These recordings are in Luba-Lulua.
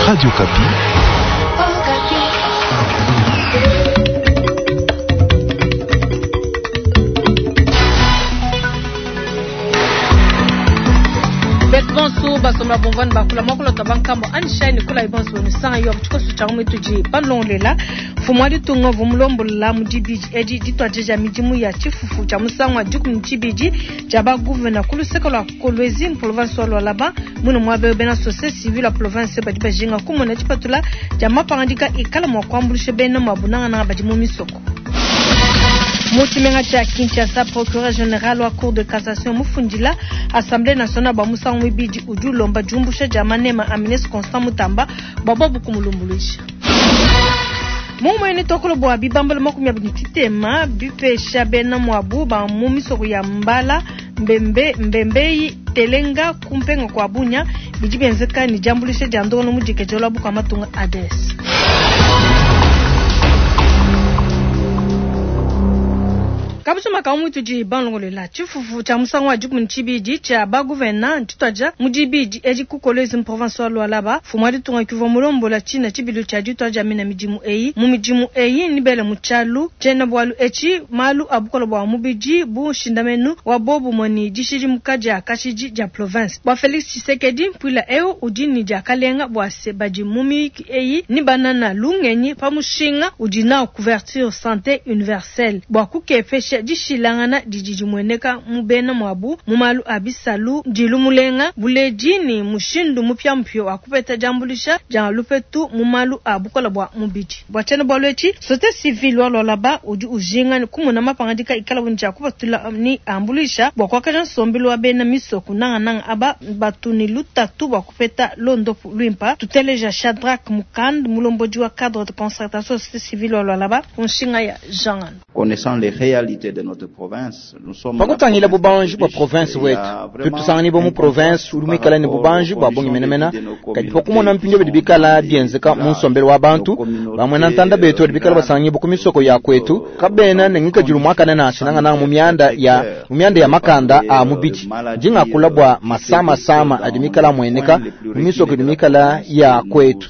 Radio Okapi. Betu bonso basomba bumvua ne bakula muakulu wa bankambo anyishayi ne kulayi bonso ne sanga yo tshikoso tshia mu tudi balongolela mfumu wa ditunga uvua mulombola mu dibidi edi dituadija midimu ya tshifufu tshia musangu wa 12 tshia ba gouverneur ku luseke lua Kolwezi mu province wa Lualaba. Muine muaba eu bena société civile wa province badi bajinga kumona dipatula dia mapangadika ikala mua kuambuluisha bena muabu nangananga badi mu misoko. Mu tshimenga tshia Kinshasa, procureur general wa cour de cassation mufundila Assemblée nationale bua musangu muibidi udi ulomba diumbusha dia manema a ministre Constant Mutamba bua bobu kumulumbuluisha. Mu muene tokolo bua bibambalu 23 bipesha bena muabu ba mu misoko ya Mbala, Mbembe, Mbembeyi, Telenga ku mpenga kua Bunia bidi bienzeka ne diambuluisha dia ndongoluelu mudikadile wa bukua matunga ADS. Kabusuma ka mutudi balongolola tshifufu tshia musangu wa 12 tshia ba gouverneur ntshituadija mu dibidi edi ku Kolwezi mu province wa Lualaba. Mfumu wa ditunga kivua mulombola tshina tshibilu tshia dituadija mina midimu eyi. Mu midimu eyi nibele mu tshialu tshiena bualu etshi malu a bukole bua mubidi bu nshindamenu wa bobumue ne dishidimuka dia kashidi dia province. Bua Felix Tshisekedi, mpuila eu udi ne diakalenga bua se badi mu miyuki eyi ne banana lungenyi pa mushinga udi nawu couverture sante universelle bua kukepesha dishilangana didi dimueneka mu bena muabu mu malu a bisalu, ndilu mulenga, buledi ne mushindu mupiamupia wa kupeta diambuluisha dia lupetu mu malu a bukole bua mubidi. Bua tshiena-bualu etshi, société civile wa Lualaba udi ujinga kumona mapangadika ikalabu ne tshia kupatula ne ambuluisha bua kuakaja nsombelu wa bena misoko, nangananga aba batu ne lutatu bua kupeta luondopu luimpa. Tuteleja Shadrack Mukand, mulombodi wa cadre de concertation société civile wa Lualaba, ku nshinga ya Jean Ngando. Connaissant les réalités de notre province, nous sommes Pa kutangila bubanji bua province wetu, tudi tusanganyibua mu province udi muikale ne bubanji bua bungi menemene, kadi pa kumona mpindieu bidi bikala bienzeka mu nsombelu wa bantu, bamuena ntanda betu badi bikala basanganyibua ku misoko ya kuetu kabena ne ngikadilu muakane nansha, nangananga mu mianda ya mu mianda ya makanda a mubidi. Ndi ngakula bua masamasama adi mikale amueneka mu misoko idi mikale ya kuetu.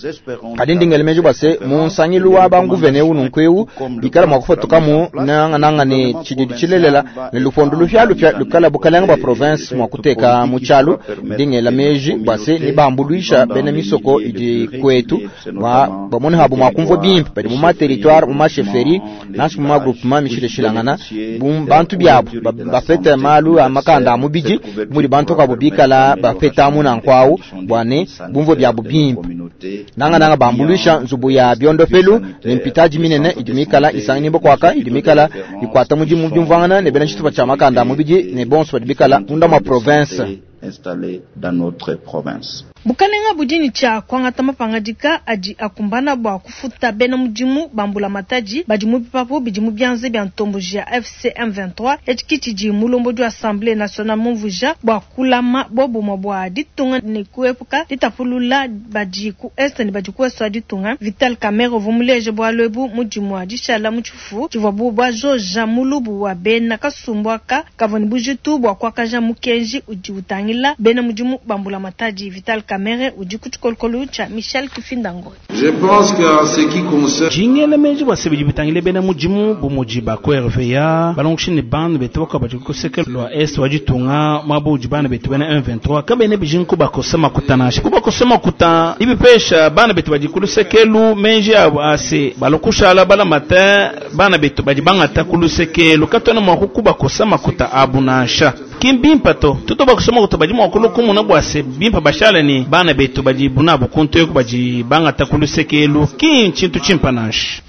Kadi ndi ngela meji bua se, mu nsangilu wa banguvene eu nunku eu bikala mua kupatukamu nangananga ne tshididi tshilelela ne lupondu lupialupia lukala bukalenge bua province mua kuteka mu tshialu. Ndi ngela meji bua se nebambuluisha bena misoko idi kuetu bua bamone habu mua kumvua bimpe badi mu ma-territoire, mu ma-chefferie, nansha mu ma-groupement mishilashilangana, bu bantu biabu bapete malu a makanda a mubidi mudi bantu kabu bikala bapetamu nanku au bua ne bumvue biabu bimpe, nangananga bambuluisha nzubu ya biondopelu ne mpitadi minene idi mikala isanganyibua kuaka idi mikala ikuata mudimu mu diumvuangana ne bena tshitupa tshia makanda a mubidi ne bonso badi bikala munda mua province. Installés dans notre province. Bukalenga budi ne tshia kuangata mapangadika adi akumbana bua kufuta bena mudimu ba mbulamatadi badi mu bipapu bidi mu bianza bia ntomboji ya AFC M23. Etshi ki tshidi mulombodi wa Assemblee nationale mumvuija bua kulama bobumue bua ditunga ne kuepuka ditapulula badi ku est ne badi ku ouest wa ditunga. Vital Kamerhe uvua muleje bualu ebu mu dimua dishala mu tshifufu tshivuabu bajoja mulubu wa bena kasumbu aka kavua ne bujitu bua kuakaja mukenji udi utangila bena mudimu ba mbulamatadi. Vital Kamerhe udi ku tshikolokolo tshia Michel Kifinda Ngoy. Je pense qu'en ce qui concerne Ndi ngela meji bua se bidi bitangila bena mudimu bu mudi ba ku RVA, balongeshi ne bana betu bakuabu badi ku luseke lua Est wa ditunga, muaba udi bana betu bena M23 kabena bijinga kubakosa makuta nansha. Kubakosa makuta ibipesha bana betu badi ku luseke elu meji abu a se balua kushala balamate bana betu badi bangata ku luseke elu, katuena mua kubakosa makuta abu nansha. Ki mbimpe to. Tutu bakosa makuta badi mua kulua kumona bua se bimpe bashale ne bana betu badibu nabu kuntu eku badi bangata ku luseke elu, ki ntshintu tshimpe nansha.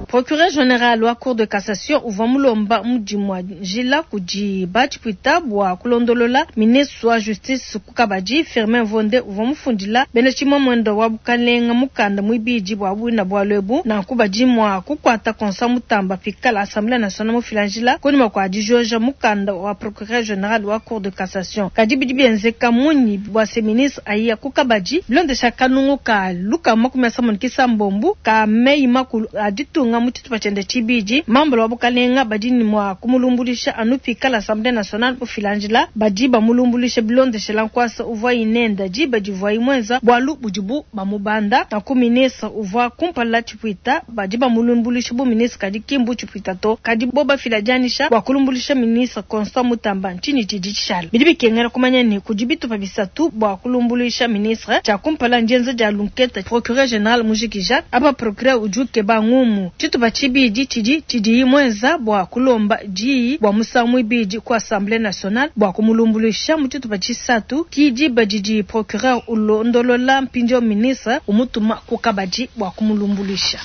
Procureur general wa Cour de cassation uvua mulomba mudimu wa njila kudi ba tshipuita bua kulondolola ministre wa justice ku kabadi. Firmin Mvonde uvua mufundila bena tshimamuenda wa bukalenga mukanda muibidi bua buina bualu ebu. Nanku badi mua kukuata Constant Mutamba pikala Assemblee nationale mufila njila kunyima kua dijoja mukanda wa procureur general wa Cour de cassation. Kadi bidi bienzeka munyi bua se ministre ayiya ku kabadi bilondesha kanungu ka lukama makumi asambombo ne kisambombo ka meyi makulu a ditunga? mu tshitupa tshiende tshibidi, membre wa bukalenga badi ne mua kumulumbuluisha anu pikala Assemblee nationale mufila njila. Badi bamulumbuluisha bilondeshela nkuasa uvuayi nenda diba divuayi muenza bualu budibu bamubanda. Nanku ministre uvua kumpala tshipuita badi bamulumbuluisha bu ministre kadi ki mbu tshipuita to. Kadi bobu bafila dianyisha bua kulumbuluisha ministre Constant Mutamba, ntshinyi tshidi tshishala? Bidi bikengela kumanya ne, kudi bitupa bisatu bua kulumbuluisha ministre. Tshia kumpala ndienza dia lunketa, procureur general mujikija. Apa procureur udi ukeba ngumu. Tshitupa tshibidi tshidi tshidiyi muenza bua kulomba diyi bua musangu muibidi ku Assemblee nationale bua kumulumbuluisha. Mu tshitupa tshisatu ki diba didi procureur ulondolola mpindieu ministre, umutuma ku kabadi bua kumulumbuluisha.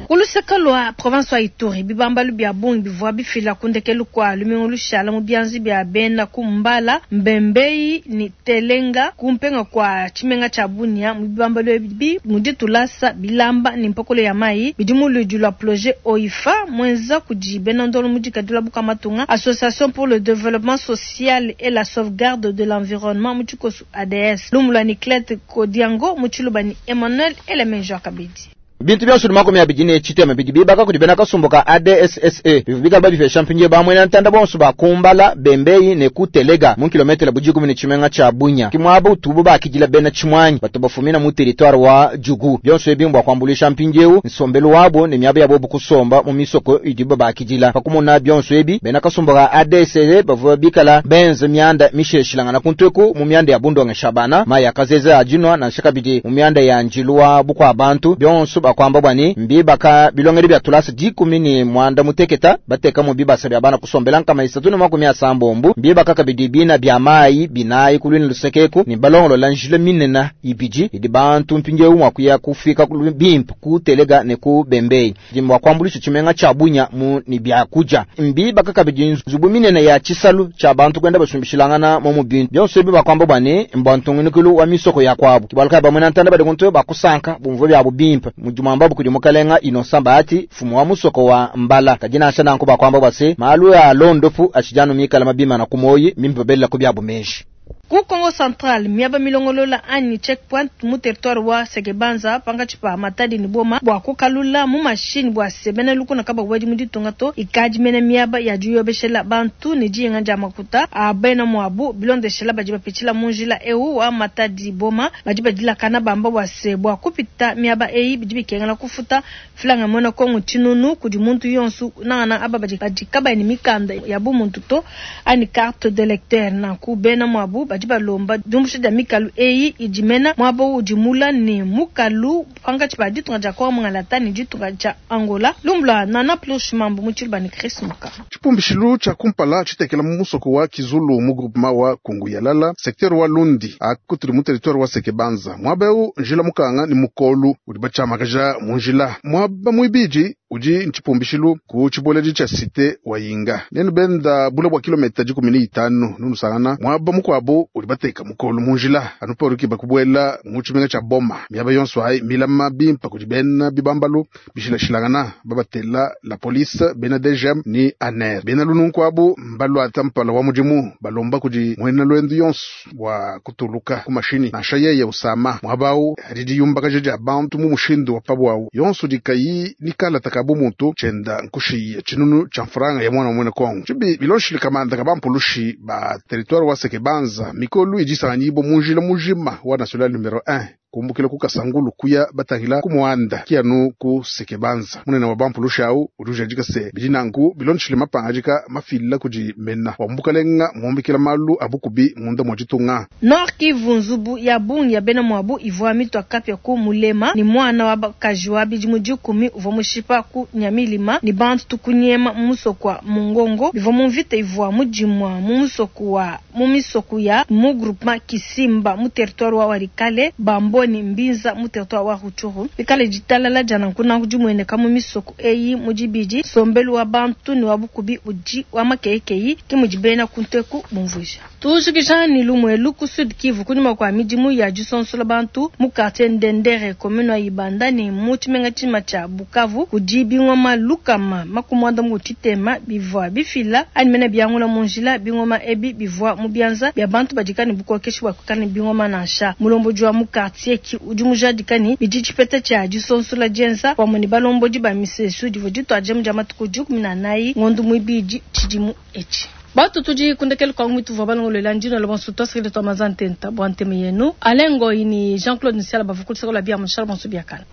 Ku luseke lua province wa Ituri, bibambalu bia bungi bivua bifila ku ndekelu kua lumingu lushala mu bianza bia bena ku Mbala, Mbembei ne Telenga ku mpenga kua tshimenga tshia Bunia. Mu bibambalu ebi mudi tulasa, bilamba ne mpokolo ya mayi bidi mu luidi lua plojet OIFA muenza kudi bena ndolo mu dikadila bukua matunga, Association pour le developpement social et la sauvegarde de l'environnement mu tshikosu ADS. Lumu lua Niclette Kodiango mu tshiluba ne Emmanuel Elemenjua kabidi. Bintu bionso 23 bidi bibaka kudi bena kasumbu ka ADSSE bivua bikale babipesha mpindieu ba muena ntanda bonso ba ku Mbala, Bembei ne ku Telega mu kilometele bu dikumi ne tshimenga tshia Bunia. Ke muaba utubu bakidila bena tshimuangi batu bafumina mu teritware wa Djugu. Bionso ebi mbua kuambuluisha mpindieu nsombelu wabu ne miaba ya bobu kusomba mu misoko idibu babakidila. Pa kumona bionso ebi, bena kasumbu ka ADSSE bavua bikala benza mianda mishilashilangana kuntu eku mu mianda ya bundongesha bana, mayi a kazeze a dinua nansha kabidi mu mianda ya njilu wa bukua bantu. Bionso bakuamba bua ne, mbibaka bilongedi bia tulasa 18, batekamu bibasa bia bana kusombela 380, mbibaka kabidi bina bia mayi binayi ku luine luseke eku, ne balongolola njila minene ibidi idi bantu mpindieu mua kuya kufika bimpe ku Telega ne ku Bembei, idi mua kuambuluisha tshimenga tshia Bunia mu ne biakudia. Mbibaka kabidi nzubu minene ya tshisalu tshia bantu kuenda basumbishilangana momu bintu. Bionso ebi bakuamba bua ne, mbua ntungunukilu wa misoko ya kuabu. Ke bualu kayi bamue ntanda badi kuntu bakusanka bumvue biabu bimpe mudi muambabu kudi mukalenga Innocent Bahati, mfumu wa musoko wa Mbala. Kadi nansha nanku bakuamba bua se, malu a londopu atshidi anu mikale mabimana ku muoyi, mbimpe babelela ku biabu meji. Ku Kongo Central, miaba milongolola anyi checkpoint mu territoire wa Sekebanza pankatshi pa Matadi ne Boma bua kukalula mu mashinyi bua se bena lukuna kababuedi mu ditunga to, ikadi mena miaba ya diyobeshela bantu ne diyenga dia makuta a bena muabu. Bilondeshela badi bapitshila mu njila eu wa Matadi Boma badi badilakana bamba bua se bua kupita miaba eyi bidi bikengela kufuta mfranga muena Kongo tshinunu kudi muntu yonsu, nangana aba badi kabayi ne mikanda ya bumuntu to anyi carte d'electeur. Nanku bena muabu badi balomba diumbusha dia mikalu eyi idi mena muaba udi mula ne mukalu pankatshi pa ditunga dia Kongo Mungalata ne ditunga dia Angola. Lumbu lua Nana Plush Mambu mu tshiluba ne Chris Muka. Tshipumbishilu tshia kumpala tshitekela mu musoko wa Kizulu mu groupement wa Kunguyalala, secteur wa Lundi, akutudi mu territoire wa Sekebanza. Muaba eu njila mukanga ne mukolu udi batshiamakaja mu njila. Muaba muibidi udi ntshipumbishilu ku tshibueledi tshia cité wa Yinga. Nenu benda bule bua kilomita 15 nunusangana muaba mukuabu udi bateka mukolu mu njila anu pa kubuela mu tshimenga tshia Boma. Miaba yonso ayi milama bimpe kudi bena bibambalu bishilashilangana babatela la police, bena DGM ni ANER. Bena lununku abu mbaluata mpala wa mudimu balomba kudi muena lwendu yonso bua kutuluka ku mashini nansha yeye usama muaba awu adi diyumbakaja dia bantu mu mushindu wa pabuawu yonso dikayi nikala takabu muntu tshienda nkushiya tshinunu tshia mfranga ya mwana mwene Kongo. Tshibi bilonshile kamanda kabampulushi ba territoire wa Sekebanza mikolu idisanganyibwa mu njila mujima wa national numero 1 kumbukila ku Kasangulu kuya batangila ku Muanda kianu ku Sekebanza. Munene wa bampulushi awu udi ujadika se bidi nanku bilonshile mapangadika mafila kudi mena wa mbukalenga muombikila malu abukubi munda mwa ditunga. Nord Kivu, nzubu ya bungi ya bena muabu ivua mitua kapia ku Mulema ne mwana wa bakaji wa bidimu 10 uvua mushipa ku Nyamilima ne bantu tukunyema mu musoko wa Mungongo bivua mu mvita ivua mudimua mu musoko wa mu misoko ya mu groupement Kisimba mu territoire wa Walikale Bamboni Mbinza mu territoire wa Rutshuru. Bikale ditalala dia nanku nanku dimueneka mu misoko eyi mu dibidi nsombelu wa bantu ne wa bukubi udi wa makeyekeyi ke mudi bena kunteku bumvuija. Tujikija ni lumwelu ku Sud Kivu kunyima kwa midimu ya disonsola bantu mu quartier Ndendere commune wa Ibanda ne mu tshimenga tshima tshia Bukavu kudi bingoma lukama makumwanda mu tshitema bivua bifila anyi mena biangula mu njila bingoma ebi bivua mu bianza bia bantu badika ne bukokeshi bua kuikala ne bingoma nansha. Mulomboji wa mu quartier Masieki udi mujadika ne bidi tshipeta tshia disonsola dienza pamue ne balombodi ba misesu divua dituadija mu dia matuku 14 ngondu muibidi tshidimu etshi. Batu tudi kundekelu kwangu mituvua balongolola ndino la bonso tuasikile tua maza ntenta bua nteme yenu Alain Ngoyi ni Jean-Claude Nsiala bavua kulusaka lua bia mushala bonso biakana.